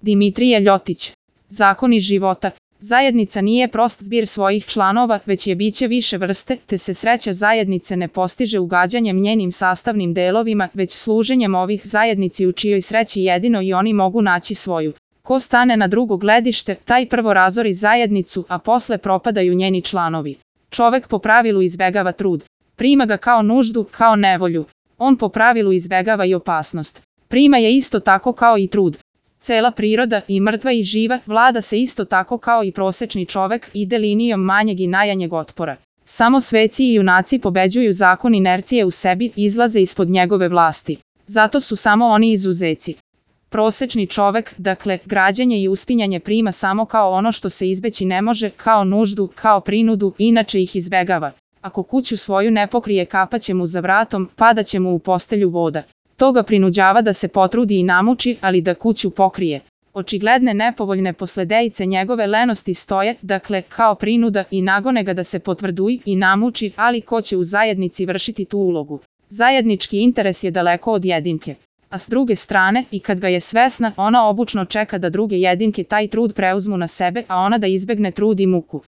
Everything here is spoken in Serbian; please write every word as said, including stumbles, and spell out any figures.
Dimitrije Ljotić. Zakoni života. Zajednica nije prost zbir svojih članova, već je biće više vrste, te se sreća zajednice ne postiže ugađanjem njenim sastavnim delovima, već služenjem ovih zajednici u čijoj sreći jedino i oni mogu naći svoju. Ko stane na drugo gledište, taj prvo razori zajednicu, a posle propadaju njeni članovi. Čovek po pravilu izbegava trud. Prima ga kao nuždu, kao nevolju. On po pravilu izbegava i opasnost. Prima je isto tako kao i trud. Cela priroda, i mrtva i živa, vlada se isto tako kao i prosečni čovek, ide linijom manjeg i najmanjeg otpora. Samo sveci i junaci pobeđuju zakon inercije u sebi, izlaze ispod njegove vlasti. Zato su samo oni izuzeci. Prosečni čovek, dakle, građenje i uspinjanje prima samo kao ono što se izbeći ne može, kao nuždu, kao prinudu, inače ih izbegava. Ako kuću svoju ne pokrije, kapaće mu za vratom, padaće mu u postelju voda. To ga prinuđava da se potrudi i namuči, ali da kuću pokrije. Očigledne nepovoljne posledice njegove lenosti stoje, dakle, kao prinuda, i nagone ga da se potvrduji i namuči, ali ko će u zajednici vršiti tu ulogu? Zajednički interes je daleko od jedinke. A s druge strane, i kad ga je svesna, ona obučno čeka da druge jedinke taj trud preuzmu na sebe, a ona da izbegne trud i muku.